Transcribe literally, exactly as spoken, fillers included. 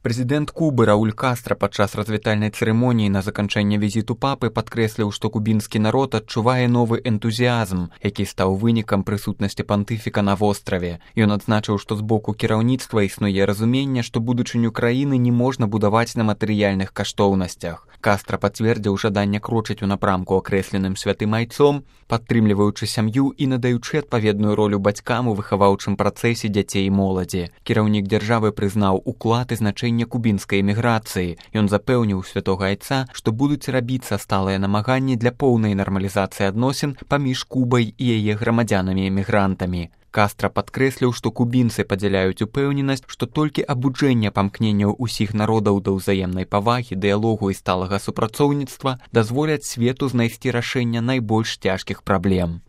Прэзідэнт Кубы Рауль Кастра падчас развітальнай цырымоніі на заканчэнне візіту папы падкрэсліў, што кубінскі народ адчувае новы энтузіязм, які стаў вынікам прысутнасці пантыфіка на востраве. Ён адзначыў, што з боку кіраўніцтва існуе разуменне, што будучыню краіны не можна будаваць на матэрыяльных каштоўнасцях. Кастра пацвердзіў жаданне крочыць у напрамку акрэсленым святым айцом, падтрымліваючы сям'ю і надаючы адпаведную ролю бацькам у выхаваўчым працэсе дзяцей і моладзі. Кіраўнік дзяржавы прызнаў уклад і значэнне кубінскай эміграцыі. Ён запэўніў святога айца, што будуць рабіцца сталыя намаганні для поўнай нармалізацыі адносін паміж Кубай і яе грамадзянамі-эмігрантамі. Кастра падкрэсліў, што кубінцы падзяляюць упэўненасць, што толькі абуджэнне памкненняў усіх народаў да ўзаемнай павагі, дыялогу і сталага супрацоўніцтва дазволяць свету знайсці рашэнне найбольш цяжкіх праблем.